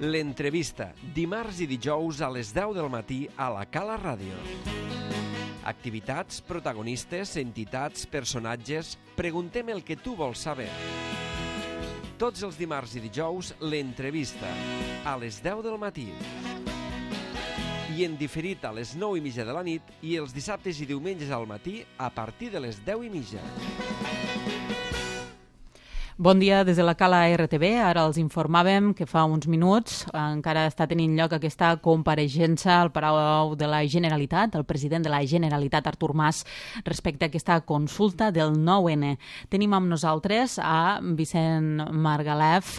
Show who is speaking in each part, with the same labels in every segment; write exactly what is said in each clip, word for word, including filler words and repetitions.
Speaker 1: L'entrevista, dimarts i dijous a les deu del matí a la Cala Ràdio. Activitats, protagonistes, entitats, personatges... Preguntem el que tu vols saber. Tots els dimarts i dijous, l'entrevista, a les deu del matí. I en diferit a les nou i mitja de la nit i els dissabtes i diumenges al matí a partir de les deu i mitja.
Speaker 2: Bon dia des de la Cala R T B. Ara els informàvem que fa uns minuts encara està tenint lloc aquesta compareixença al Palau de la Generalitat, el president de la Generalitat, Artur Mas, respecte a aquesta consulta del nou ene. Tenim amb nosaltres a Vicent Margalef,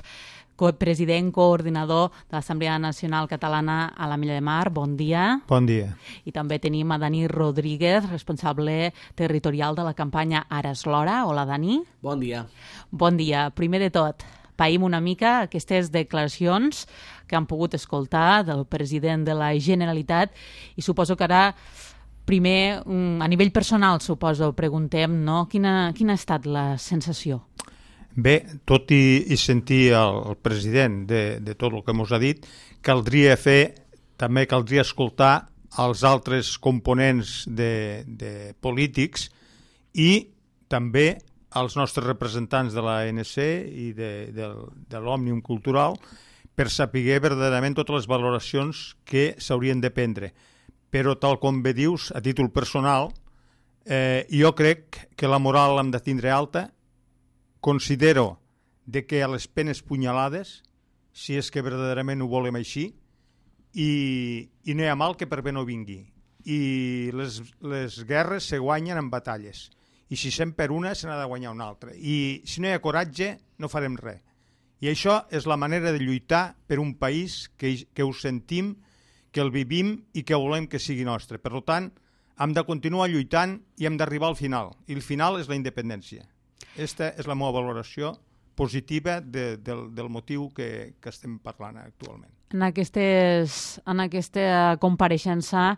Speaker 2: president coordinador de l'Assemblea Nacional Catalana a l'Ametlla de Mar. Bon dia.
Speaker 3: Bon dia.
Speaker 2: I també tenim a Dani Rodríguez, responsable territorial de la campanya Ara és l'hora. Hola, Dani.
Speaker 4: Bon dia.
Speaker 2: Bon dia. Primer de tot, païm una mica aquestes declaracions que han pogut escoltar del president de la Generalitat i suposo que ara, primer, a nivell personal, suposo, preguntem, no? Quina, quina ha estat la sensació?
Speaker 3: Bé, tot i, i sentir el, el president de, de tot el que ens ha dit, caldria fer, també caldria escoltar els altres components de, de polítics i també els nostres representants de l'A N C i de, de, de l'Òmnium Cultural per saber verdaderament totes les valoracions que s'haurien de prendre. Però tal com bé dius, a títol personal, eh, jo crec que la moral l'hem de tindre alta. Considero de que a les penes punyalades, si és que verdaderament ho volem així, i, i no hi ha mal que per bé no vingui. I les, les guerres se guanyen en batalles. I si se'n per una, se n'ha de guanyar una altra. I si no hi ha coratge, no farem res. I això és la manera de lluitar per un país que, que ho sentim, que el vivim i que volem que sigui nostre. Per tant, hem de continuar lluitant i hem d'arribar al final. I el final és la independència. Aquesta és la meva valoració positiva de, del, del motiu que, que estem parlant actualment.
Speaker 2: En, aquestes, en aquesta compareixença,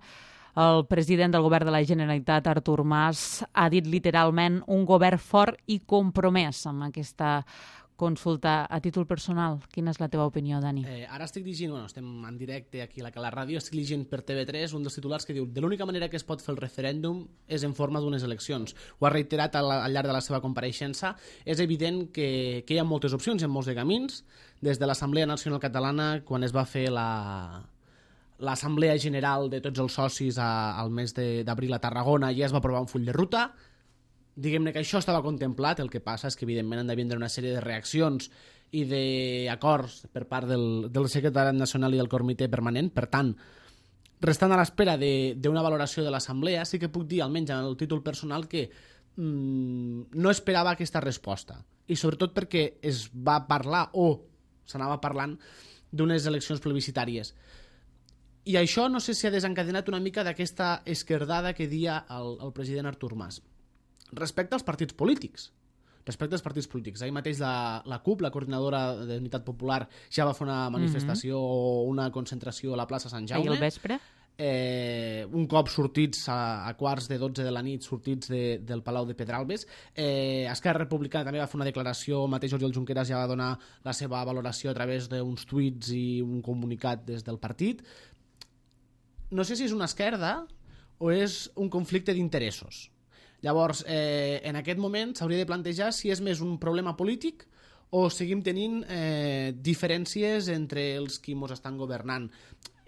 Speaker 2: el president del govern de la Generalitat, Artur Mas, ha dit literalment un govern fort i compromès amb aquesta consulta. A títol personal, quina és la teva opinió, Dani?
Speaker 4: Eh, ara estic llegint, bueno, estem en directe aquí a la Cala Ràdio, estic llegint per T V tres un dels titulars que diu: de l'única manera que es pot fer el referèndum és en forma d'unes eleccions. Ho ha reiterat al, al llarg de la seva compareixença. És evident que, que hi ha moltes opcions, hi ha molts de camins. Des de l'Assemblea Nacional Catalana, quan es va fer la... l'Assemblea General de tots els socis a, al mes d'abril a Tarragona, ja es va aprovar un full de ruta. Diguem-ne que això estava contemplat, el que passa és que evidentment han de vindre una sèrie de reaccions i d'acords per part del, del secretari nacional i del comitè permanent. Per tant, restant a l'espera d'una valoració de l'Assemblea, sí que puc dir, almenys en el títol personal, que mmm, no esperava aquesta resposta. I sobretot perquè es va parlar, o s'anava parlant, d'unes eleccions plebiscitàries. I això no sé si ha desencadenat una mica d'aquesta esquerdada que dia el, el president Artur Mas. Respecte als partits polítics. Respecte als partits polítics. Ahir mateix la, la C U P, la coordinadora d'Unitat Popular, ja va fer una manifestació o mm-hmm. una concentració a la plaça Sant Jaume.
Speaker 2: Ahir al vespre.
Speaker 4: Eh, un cop sortits a, a quarts de dotze de la nit, sortits de, del Palau de Pedralbes. Eh, Esquerra Republicana també va fer una declaració, el mateix Oriol Junqueras ja va donar la seva valoració a través d'uns tuits i un comunicat des del partit. No sé si és una esquerda o és un conflicte d'interessos. Llavors, eh, en aquest moment s'hauria de plantejar si és més un problema polític o seguim tenint eh, diferències entre els qui ens estan governant.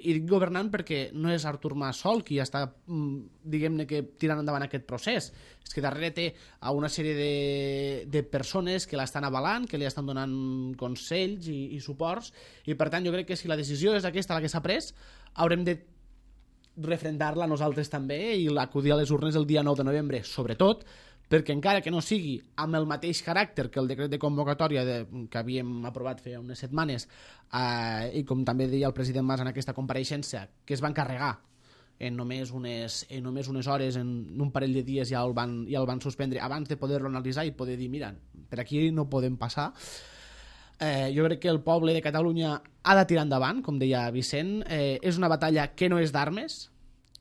Speaker 4: I dic governant perquè no és Artur Mas sol qui està, diguem-ne, que tirant endavant aquest procés. És que darrere té a una sèrie de, de persones que l'estan avalant, que li estan donant consells i, i suports, i per tant jo crec que si la decisió és aquesta la que s'ha pres, haurem de refrendar-la nosaltres també i acudir a les urnes el dia nou de novembre, sobretot perquè encara que no sigui amb el mateix caràcter que el decret de convocatòria de, que havíem aprovat fa unes setmanes eh, i com també deia el president Mas en aquesta compareixença, que es van carregar en només unes, en només unes hores, en un parell de dies ja el van, ja el van suspendre abans de poder-lo analitzar i poder dir, mira, per aquí no podem passar. Eh, jo crec que el poble de Catalunya ha de tirar endavant, com deia Vicent. Eh, és una batalla que no és d'armes,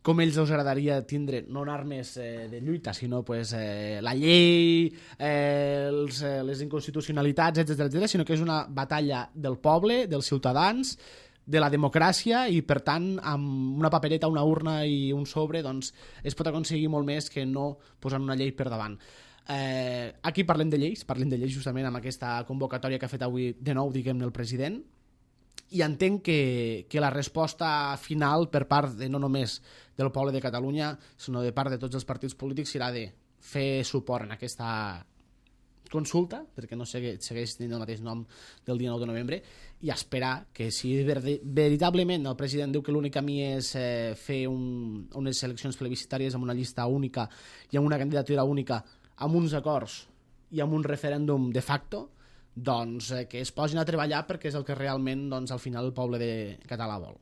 Speaker 4: com ells els agradaria tindre, no en armes eh, de lluita, sinó pues, eh, la llei, eh, els, eh, les inconstitucionalitats, etcètera, etcètera, sinó que és una batalla del poble, dels ciutadans, de la democràcia i, per tant, amb una papereta, una urna i un sobre, doncs, es pot aconseguir molt més que no posant una llei per davant. Eh, aquí parlem de lleis, parlem de lleis justament amb aquesta convocatòria que ha fet avui de nou, diguem-ne, el president, i entenc que, que la resposta final per part de no només del poble de Catalunya, sinó de part de tots els partits polítics serà de fer suport en aquesta consulta, perquè no segueix, segueix tenint el mateix nom del dia nou de novembre, i esperar que si veritablement el president diu que l'únic camí és eh, fer un, unes eleccions plebiscitàries amb una llista única i amb una candidatura única, amb uns acords i amb un referèndum de facto, doncs eh, que es posin a treballar perquè és el que realment doncs, al final el poble de català vol.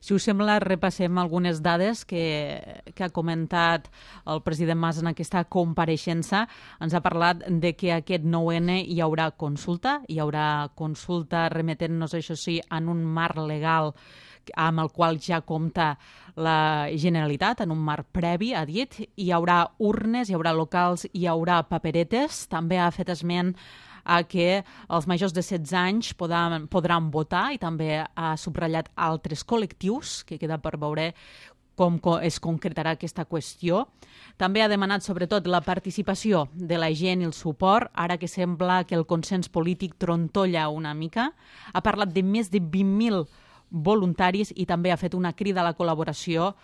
Speaker 2: Si us sembla, repassem algunes dades que, que ha comentat el president Mas en aquesta compareixença. Ens ha parlat de que aquest nou ene hi haurà consulta, hi haurà consulta remetent-nos, això sí, en un marc legal amb el qual ja compta la Generalitat, en un marc previ, ha dit. Hi haurà urnes, hi haurà locals, hi haurà paperetes. També ha fet esment a que els majors de setze anys podran, podran votar i també ha subratllat altres col·lectius, que queda per veure com es concretarà aquesta qüestió. També ha demanat sobretot la participació de la gent i el suport, ara que sembla que el consens polític trontolla una mica. Ha parlat de més de vint mil voluntaris i també ha fet una crida a la col·laboració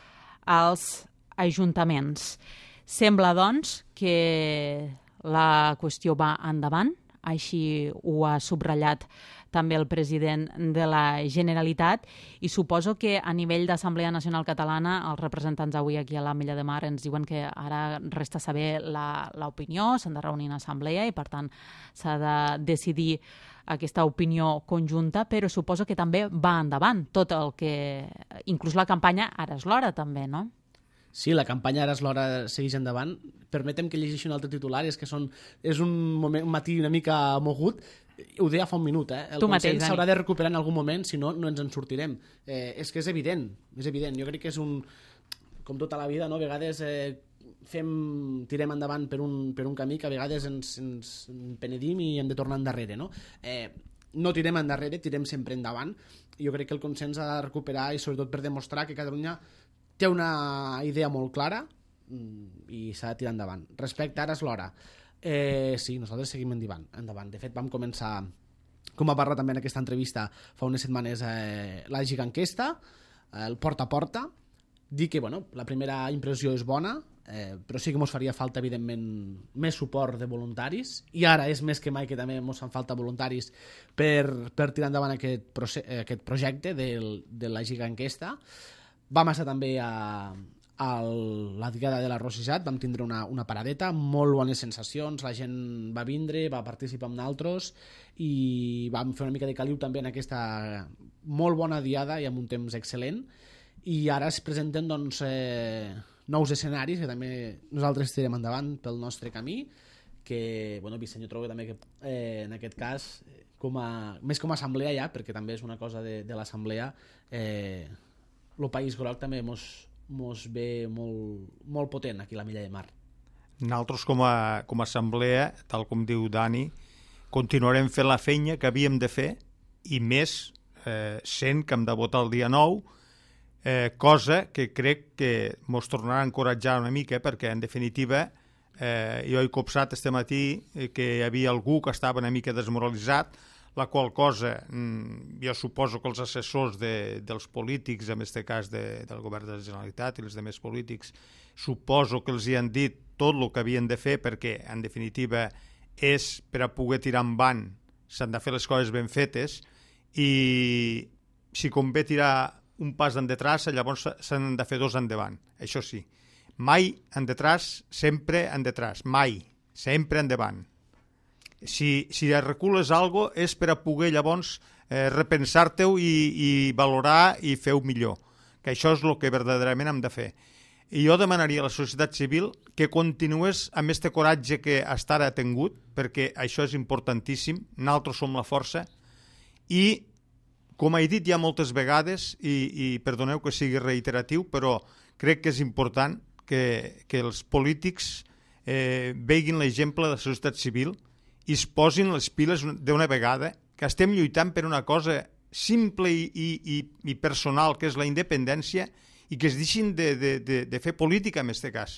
Speaker 2: als ajuntaments. Sembla, doncs, que la qüestió va endavant, així ho ha subratllat també el president de la Generalitat, i suposo que a nivell d'Assemblea Nacional Catalana els representants avui aquí a l'Ametlla de Mar ens diuen que ara resta saber l'opinió, s'han de reunir en assemblea i per tant s'ha de decidir aquesta opinió conjunta, però suposo que també va endavant tot el que... inclús la campanya Ara és l'hora també, no?
Speaker 4: Sí, la campanya Ara és l'hora segueix endavant. Permetem que llegeixi un altre titular, és que són, és un, moment, un matí una mica mogut. Ho deia fa un minut, eh? El
Speaker 2: tu
Speaker 4: consens s'haurà de recuperar en algun moment, si no, no ens en sortirem. Eh, és que és evident, és evident. Jo crec que és un... Com tota la vida, no? A vegades eh, fem, tirem endavant per un, per un camí que a vegades ens, ens penedim i hem de tornar endarrere, no? Eh, no tirem endarrere, tirem sempre endavant. Jo crec que el consens ha de recuperar i sobretot per demostrar que Catalunya té una idea molt clara i s'ha de tirar endavant. Respecte a Ara és l'hora. Eh, sí, nosaltres seguim endavant, endavant. De fet, vam començar, com va parlar també en aquesta entrevista fa unes setmanes, eh, la giganquesta, el porta a porta, dir que bueno, la primera impressió és bona, eh, però sí que ens faria falta, evidentment, més suport de voluntaris, i ara és més que mai que també ens fan falta voluntaris per, per tirar endavant aquest, aquest projecte del, de la giganquesta. Vam estar també a, a la diada de la Rosissat, vam tindre una, una paradeta, molt bones sensacions, la gent va vindre, va participar amb naltros i vam fer una mica de caliu també en aquesta molt bona diada i amb un temps excel·lent, i ara es presenten doncs, eh, nous escenaris que també nosaltres tirem endavant pel nostre camí, que bueno, Vicent, jo trobo també que eh, en aquest cas, com a, més com a assemblea ja, perquè també és una cosa de, de l'assemblea, eh, el País Groc també mos, mos ve molt, molt potent aquí a l'Ametlla de Mar.
Speaker 3: Nosaltres com a, com a assemblea, tal com diu Dani, continuarem fent la feina que havíem de fer i més eh, sent que hem de votar el dia nou, eh, cosa que crec que mos tornarà a encoratjar una mica perquè en definitiva eh, jo he copsat este matí que hi havia algú que estava una mica desmoralitzat, la qual cosa jo suposo que els assessors de, dels polítics, en aquest cas de, del govern de la Generalitat i els demés polítics, suposo que els hi han dit tot el que havien de fer perquè, en definitiva, és per a poder tirar endavant, s'han de fer les coses ben fetes i si convé tirar un pas endetrás, llavors s'han de fer dos endavant, això sí. Mai endetrás, sempre endetrás, mai, sempre endavant. Si, si recules alguna cosa és per a poder llavors eh, repensar-te-ho i, i valorar i fer-ho millor, que això és el que verdaderament hem de fer. I jo demanaria a la societat civil que continués amb aquest coratge que fins ara ha tingut, perquè això és importantíssim, nosaltres som la força, i com he dit ja moltes vegades, i, i perdoneu que sigui reiteratiu, però crec que és important que, que els polítics eh, veguin l'exemple de la societat civil i es posin les piles d'una vegada, que estem lluitant per una cosa simple i, i, i personal que és la independència i que es deixin de, de, de, de fer política en aquest cas.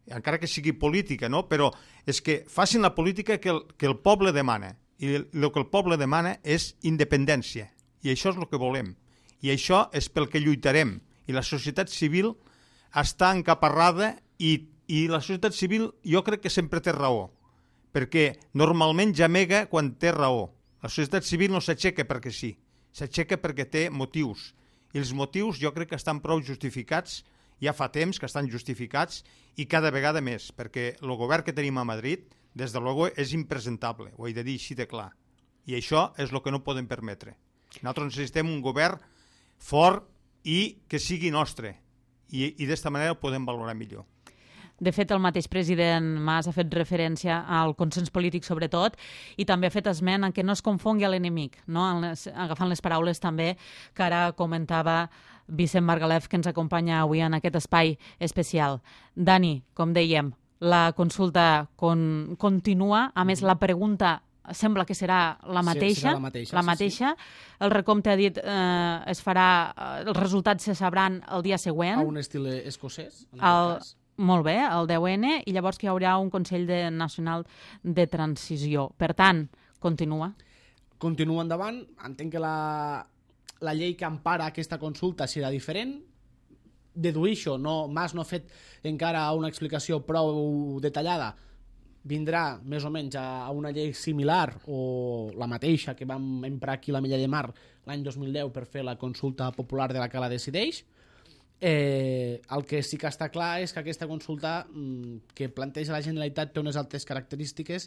Speaker 3: Encara que sigui política, no? Però és que facin la política que el, que el poble demana. I el, el que el poble demana és independència. I això és el que volem. I això és pel que lluitarem. I la societat civil està encaparrada i, i la societat civil jo crec que sempre té raó. Perquè normalment gemega quan té raó. La societat civil no s'aixeca perquè sí. S'aixeca perquè té motius. I els motius jo crec que estan prou justificats, ja fa temps que estan justificats i cada vegada més, perquè el govern que tenim a Madrid, des de luego, és impresentable, ho he de dir així de clar. I això és el que no podem permetre. Nosaltres necessitem un govern fort i que sigui nostre, i, i d'esta manera ho podem valorar millor.
Speaker 2: De fet, el mateix president Mas ha fet referència al consens polític sobretot i també ha fet esment en què no es confongui l'enemic, no? Les, agafant les paraules també que ara comentava Vicent Margalef, que ens acompanya avui en aquest espai especial. Dani, com dèiem, la consulta con, continua, a més la pregunta sembla que serà la mateixa,
Speaker 4: sí, serà la mateixa,
Speaker 2: la mateixa. Sí, sí. El recompte ha dit eh, es farà, els resultats se sabran el dia següent.
Speaker 4: A un estil escocès, en
Speaker 2: el,
Speaker 4: cas.
Speaker 2: Molt bé, el deu ene, i llavors que hi haurà un Consell de, Nacional de Transició. Per tant, continua.
Speaker 4: Continua endavant. Entenc que la, la llei que empara aquesta consulta serà diferent. Deduïixo, no, Mas no ha fet encara una explicació prou detallada. Vindrà més o menys a, a una llei similar o la mateixa que vam emprar aquí a la Mella de Mar l'any dos mil deu per fer la consulta popular de la Cala Decideix. Eh, el que sí que està clar és que aquesta consulta mm, que planteja la Generalitat té unes altres característiques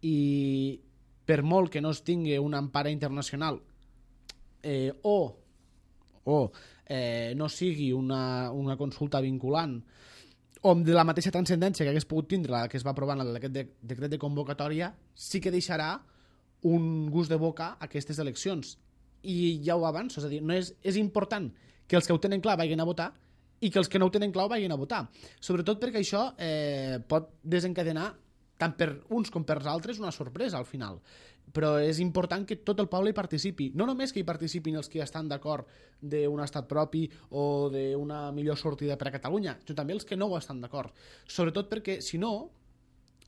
Speaker 4: i per molt que no es tingui una empara internacional eh, o, o eh, no sigui una, una consulta vinculant o de la mateixa transcendència que hagués pogut tindre la que es va aprovar en aquest de, decret de convocatòria, sí que deixarà un gust de boca a aquestes eleccions. I ja ho avanço, és a dir, no és, és important que els que ho tenen clar vagin a votar i que els que no ho tenen clar vagin a votar. Sobretot perquè això eh, pot desencadenar tant per uns com per altres una sorpresa al final. Però és important que tot el poble hi participi. No només que hi participin els que estan d'acord d'un estat propi o d'una millor sortida per a Catalunya, sinó també els que no ho estan d'acord. Sobretot perquè, si no,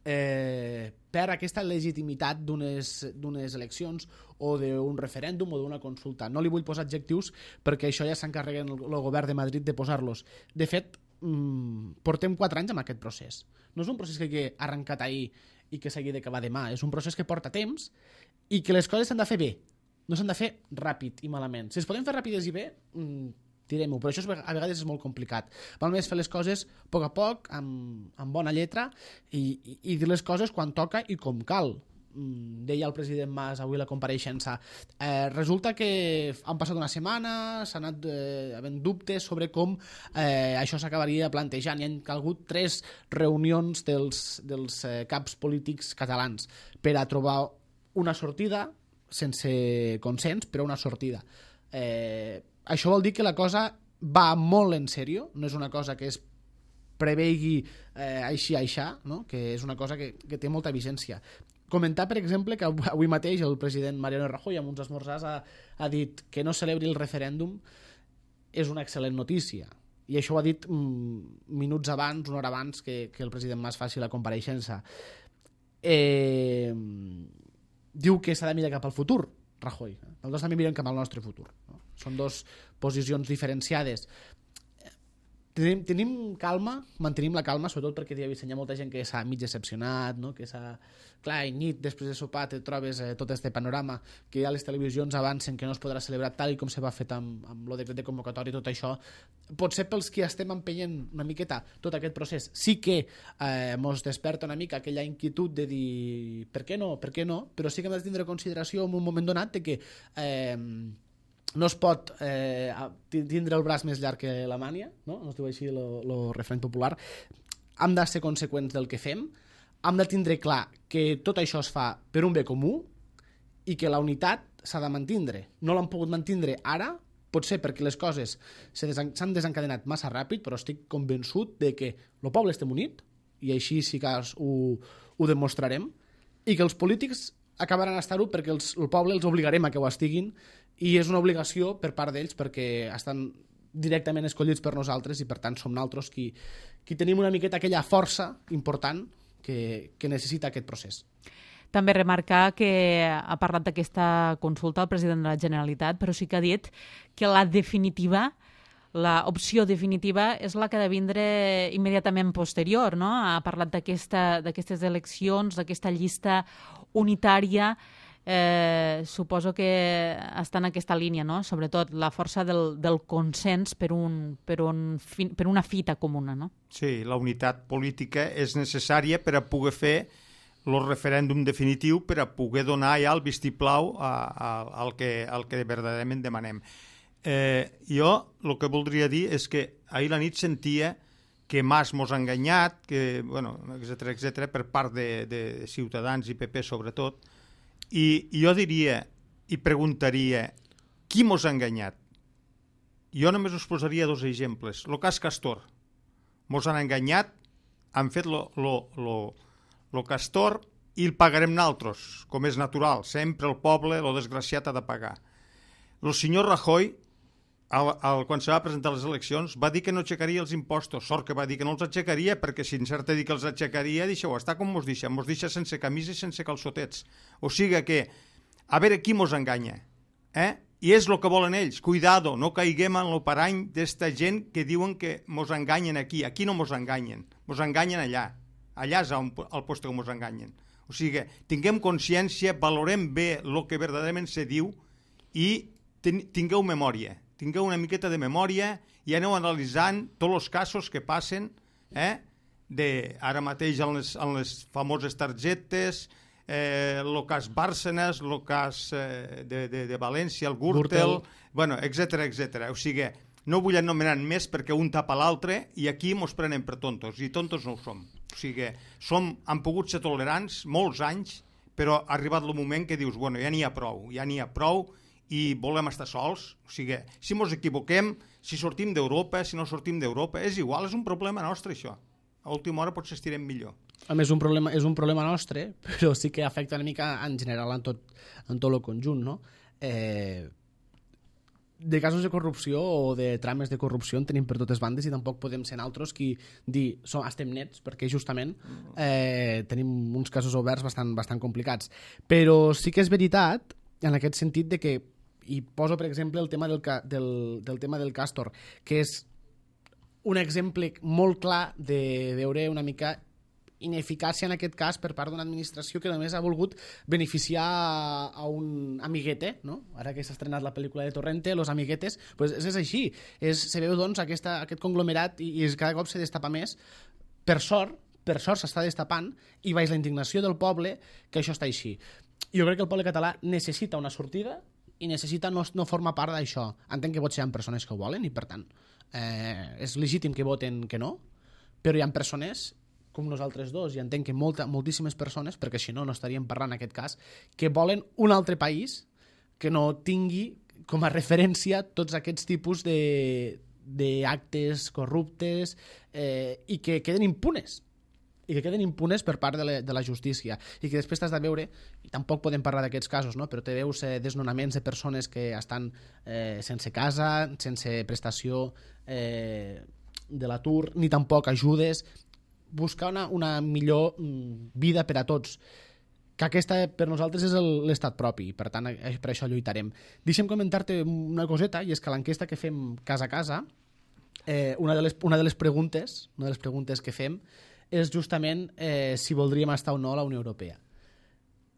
Speaker 4: eh, per aquesta legitimitat d'unes eleccions o d'un referèndum o d'una consulta. No li vull posar adjectius perquè això ja s'encarreguen el, el govern de Madrid de posar-los. De fet, mmm, portem quatre anys amb aquest procés. No és un procés que ha arrencat ahir i que s'hagi d'acabar demà. És un procés que porta temps i que les coses s'han de fer bé. No s'han de fer ràpid i malament. Si es poden fer ràpides i bé, mmm, tirem-ho, però això a vegades és molt complicat. Val més fer les coses a poc a poc, amb, amb bona lletra, i, i, i dir les coses quan toca i com cal. Mm, deia el president Mas avui a la compareixença. Eh, resulta que han passat una setmana, s'han anat eh, havent dubtes sobre com eh, això s'acabaria plantejant. Hi han calgut tres reunions dels, dels eh, caps polítics catalans per a trobar una sortida, sense consens, però una sortida. Eh, Això vol dir que la cosa va molt en sèrio, no és una cosa que es prevegi eh, així aixà, no? Que és una cosa que, que té molta vigència. Comentar, per exemple, que avui mateix el president Mariano Rajoy amb uns esmorzars ha, ha dit que no celebri el referèndum és una excel·lent notícia. I això ho ha dit mm, minuts abans, una hora abans que, que el president Mas faci la compareixença. Eh, diu que s'ha de mirar cap al futur, Rajoy. Nosaltres també mirem cap al nostre futur. No? Són dos posicions diferenciades. Tenim, tenim calma, mantenim la calma, sobretot perquè hi ha molta gent que s'ha mig decepcionat, no? Que s'ha... Clar, i nit, després de sopar, te trobes eh, tot este panorama, que ja les televisions avancen que no es podrà celebrar tal com se va fet amb, amb el decret de convocatòria i tot això. Potser pels que estem empenyent una miqueta tot aquest procés, sí que eh, mos desperta una mica aquella inquietud de dir per què no, per què no, però sí que hem de tindre consideració en un moment donat de que eh, no es pot eh, tindre el braç més llarg que la mània, no? No es diu així el refrany popular. Hem de ser conseqüents del que fem, hem de tindre clar que tot això es fa per un bé comú i que la unitat s'ha de mantindre. No l'han pogut mantindre ara, potser perquè les coses s'han desencadenat massa ràpid, però estic convençut de que el poble estem unit, i així sí que ho, ho demostrarem, i que els polítics acabaran d'estar-ho perquè els, el poble els obligarem a que ho estiguin i és una obligació per part d'ells perquè estan directament escollits per nosaltres i per tant som nosaltres qui, qui tenim una miqueta aquella força important que, que necessita aquest procés.
Speaker 2: També remarcar que ha parlat d'aquesta consulta el president de la Generalitat, però sí que ha dit que la definitiva, l'opció definitiva és la que ha de vindre immediatament posterior, no? Ha parlat d'aquesta, d'aquestes eleccions, d'aquesta llista unitària. Eh, suposo que està en aquesta línia, no? Sobretot la força del, del consens per, un, per, un, per una fita comuna, no?
Speaker 3: Sí, la unitat política és necessària per a poder fer el referèndum definitiu, per a poder donar ja el vistiplau a, a, al, que, al que verdaderament demanem. Eh, jo el que voldria dir és que ahir la nit sentia que Mas mos ha enganyat, que, bueno, etcètera, etcètera, per part de, de Ciutadans i P P sobretot, i, i jo diria i preguntaria qui mos ha enganyat? Jo només us posaria dos exemples. El cas Castor. Mos han enganyat, han fet lo, lo, lo, lo Castor i el pagarem naltros, com és natural. Sempre el poble, lo desgraciat, ha de pagar. El senyor Rajoy, al, al, quan se va presentar les eleccions, va dir que no aixecaria els impostos. Sort que va dir que no els aixecaria, perquè si encerta dir que els aixecaria, deixeu estar com mos deixa. Mos deixa sense camisa i sense calçotets. O sigui que, a veure qui mos enganya. Eh? I és el que volen ells. Cuidado, no caiguem en el parany d'esta gent que diuen que mos enganyen aquí. Aquí no mos enganyen. Mos enganyen allà. Allà és el lloc que mos enganyen. O sigui, tinguem consciència, valorem bé el que verdaderament se diu i tingueu memòria. Tingueu una miqueta de memòria i aneu analitzant tots els casos que passen, eh? de, ara mateix en les, en les famoses targetes, eh, el cas Bárcenas, el cas eh, de, de, de València, el Gürtel, bueno, etcètera, etcètera. O sigui, no vull anomenar més perquè un tapa l'altre i aquí mos prenen per tontos, i tontos no ho som. O sigui, som, han pogut ser tolerants molts anys, però ha arribat el moment que dius, bueno, ja n'hi ha prou, ja n'hi ha prou i volem estar sols. O sigui, si mos equivoquem, si sortim d'Europa, si no sortim d'Europa, és igual, és un problema nostre això. A última hora potser estirem millor.
Speaker 4: A més, un problema, és un problema nostre, però sí que afecta una mica en general en tot, en tot el conjunt, no? Eh, de casos de corrupció o de trames de corrupció en tenim per totes bandes i tampoc podem ser altres qui dir som, estem nets, perquè justament eh, tenim uns casos oberts bastant, bastant complicats. Però sí que és veritat en aquest sentit de que, i poso per exemple el tema del, del, del tema del Castor, que és un exemple molt clar de veure una mica ineficàcia en aquest cas per part d'una administració que només ha volgut beneficiar a un amiguete, no? Ara que s'ha estrenat la pel·lícula de Torrente, Los Amiguetes, pues és així. És, se veu doncs aquesta, aquest conglomerat i, i cada cop se destapa més. Per sort, per sort s'està destapant i baix la indignació del poble que això està així. Jo crec que el poble català necessita una sortida i necessita no, no formar part d'això. Entenc que potser hi ha persones que ho volen i per tant eh, és legítim que voten que no, però hi ha persones com nosaltres dos, i entenc que molta, moltíssimes persones, perquè si no, no estaríem parlant en aquest cas, que volen un altre país que no tingui com a referència tots aquests tipus d'actes corruptes eh, i que queden impunes i que queden impunes per part de la, de la justícia i que després t'has de veure, i tampoc podem parlar d'aquests casos, no? Però te veus eh, desnonaments de persones que estan eh, sense casa, sense prestació eh, de l'atur, ni tampoc ajudes, buscar una, una millor mm, vida per a tots, que aquesta per nosaltres és l'estat propi, per tant per això lluitarem. Deixa'm comentar-te una coseta, i és que l'enquesta que fem casa a casa, eh, una, de les, una de les preguntes una de les preguntes que fem és justament eh, si voldríem estar o no a la Unió Europea.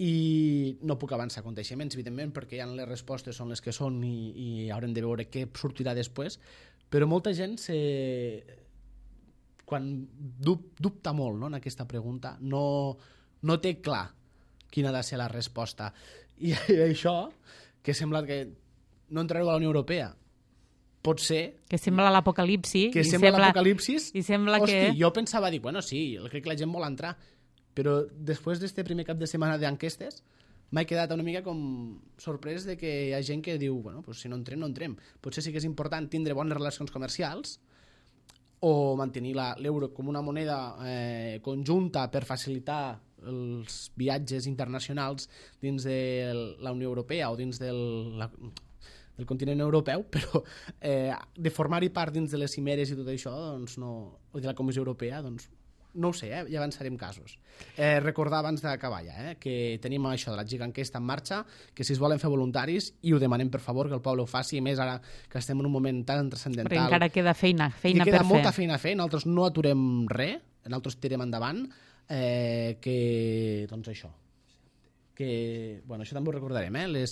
Speaker 4: I no puc avançar aconteixements, evidentment, perquè ja les respostes són les que són i, i haurem de veure què sortirà després, però molta gent se... quan dub, dubta molt, no, en aquesta pregunta, no, no té clar quina ha de ser la resposta. I, i això, que sembla que no entrareu a la Unió Europea, pot ser...
Speaker 2: Que sembla l'apocalipsi.
Speaker 4: Que sembla, sembla l'apocalipsis.
Speaker 2: I sembla
Speaker 4: Hosti,
Speaker 2: que...
Speaker 4: jo pensava dir, bueno, sí, crec que la gent vol entrar, però després d'este primer cap de setmana d'enquestes m'he quedat una mica com sorprès de que hi ha gent que diu, bueno, pues si no entrem, no entrem. Potser sí que és important tindre bones relacions comercials, o mantenir l'euro com una moneda eh, conjunta per facilitar els viatges internacionals dins de la Unió Europea o dins del, la, del continent europeu, però eh, de formar-hi part dins de les cimeres i tot això, doncs no, o de la Comissió Europea, doncs no ho sé, eh? Ja avançarem casos. Eh, recordar abans d'acabar ja, eh? que tenim això de la giganquesta en marxa, que si es volen fer voluntaris, i ho demanem per favor, que el poble ho faci, i més ara que estem en un moment tan transcendental.
Speaker 2: Perquè encara queda feina, feina per fer.
Speaker 4: Queda molta feina a fer, nosaltres no aturem res, nosaltres tirem endavant, eh, que, doncs això, que, bueno, això també ho recordarem, eh? Les,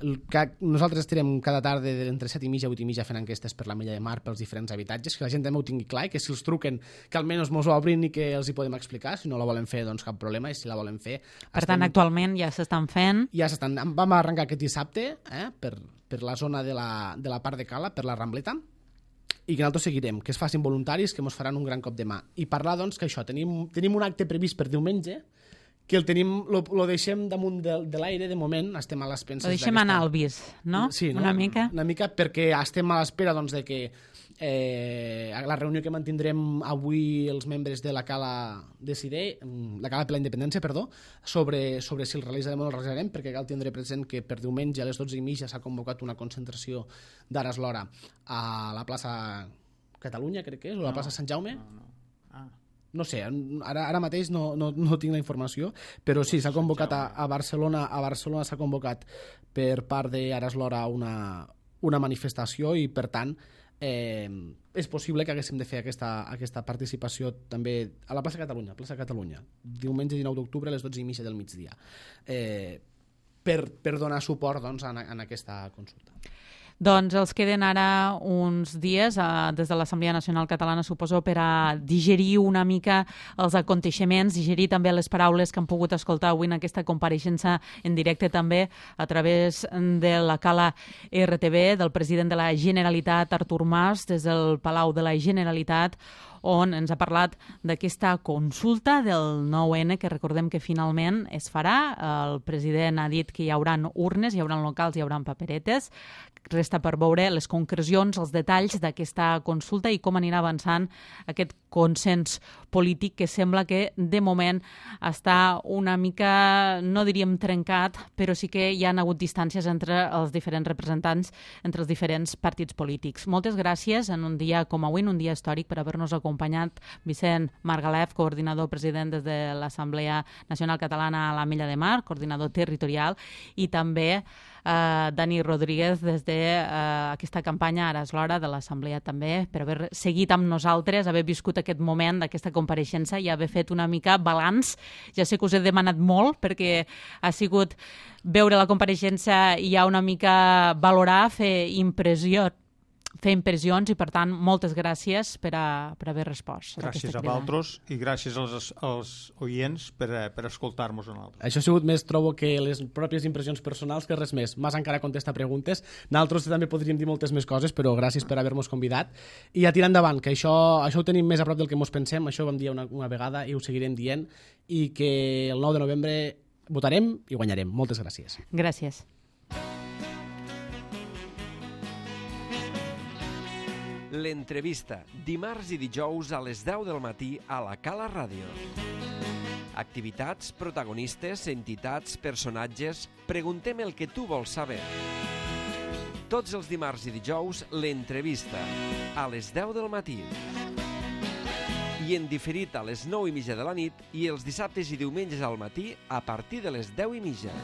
Speaker 4: el, que nosaltres estirem cada tarda entre set i mitja i vuit i mitja fent enquestes per la Milla de Mar pels diferents habitatges, que la gent també ho tingui clar i que si els truquen que almenys mos ho obrin i que els hi podem explicar, si no la volen fer doncs cap problema, i si la volen fer...
Speaker 2: Per
Speaker 4: estem...
Speaker 2: tant, actualment ja s'estan fent...
Speaker 4: Ja s'estan... Vam arrencar aquest dissabte eh? per, per la zona de la, de la part de Cala, per la Rambleta, i que nosaltres seguirem, que es facin voluntaris, que ens faran un gran cop de mà. I parlar, doncs, que això, tenim, tenim un acte previst per diumenge, que el tenim, lo, lo deixem damunt de, de l'aire, de moment, estem a les penses...
Speaker 2: Lo deixem anar al vis, no?
Speaker 4: Sí, no?
Speaker 2: Una mica.
Speaker 4: Una mica perquè estem a l'espera, doncs, de que eh, la reunió que mantindrem avui els membres de la Cala decidir, la Cala per la Independència, perdó, sobre, sobre si el realitzarem o no el realitzarem, perquè cal tindre present que per diumenge a les dotze i mitja s'ha convocat una concentració d'Aras l'Hora a la plaça Catalunya, crec que és, o a la plaça Sant Jaume.
Speaker 3: No, no. Ah.
Speaker 4: No sé, ara, ara mateix no, no, no tinc la informació, però sí, s'ha convocat a, a Barcelona, a Barcelona s'ha convocat per part d'Aras l'Hora una, una manifestació i, per tant, eh, és possible que haguéssim de fer aquesta, aquesta participació també a la plaça Catalunya, plaça Catalunya, diumenge dinou d'octubre a les dotze i mitja del migdia, eh, per, per donar suport doncs, en, en aquesta consulta.
Speaker 2: Doncs els queden ara uns dies eh, des de l'Assemblea Nacional Catalana, suposo, per a digerir una mica els aconteixements, digerir també les paraules que han pogut escoltar avui en aquesta compareixença en directe també a través de la Cala R T V, del president de la Generalitat, Artur Mas, des del Palau de la Generalitat, on ens ha parlat d'aquesta consulta del nou ene, que recordem que finalment es farà. El president ha dit que hi haurà urnes, hi haurà locals, hi haurà paperetes. Resta per veure les concrecions, els detalls d'aquesta consulta i com anirà avançant aquest consens polític que sembla que de moment està una mica, no diríem trencat, però sí que hi ha hagut distàncies entre els diferents representants, entre els diferents partits polítics. Moltes gràcies en un dia com avui, en un dia històric, per haver-nos acompanyat Vicent Margalef, coordinador president des de l'Assemblea Nacional Catalana a la Milla de Mar, coordinador territorial, i també eh, Dani Rodríguez des d'aquesta eh, campanya Aras l'Hora de l'Assemblea també, per haver seguit amb nosaltres, haver viscut aquest moment d'aquesta compareixença i haver fet una mica balanç. Ja sé que us he demanat molt perquè ha sigut veure la compareixença i ja una mica valorar, fer impressió, fer impressions i, per tant, moltes gràcies per, a, per haver respost.
Speaker 3: Gràcies a vosaltres i gràcies als, als oients per, per escoltar-nos a nosaltres.
Speaker 4: Això ha sigut més, trobo, que les pròpies impressions personals que res més. Mas encara contesta preguntes. Nosaltres també podríem dir moltes més coses, però gràcies per haver-nos convidat. I a tirar endavant, que això, això ho tenim més a prop del que ens pensem, això ho vam dir una, una vegada i ho seguirem dient, i que el nou de novembre votarem i guanyarem. Moltes gràcies.
Speaker 2: Gràcies.
Speaker 1: L'entrevista, dimarts i dijous a les deu del matí a la Cala Ràdio. Activitats, protagonistes, entitats, personatges... Preguntem el que tu vols saber. Tots els dimarts i dijous, l'entrevista, a les deu del matí. I en diferit a les nou i mitja de la nit i els dissabtes i diumenges al matí a partir de les deu i mitja.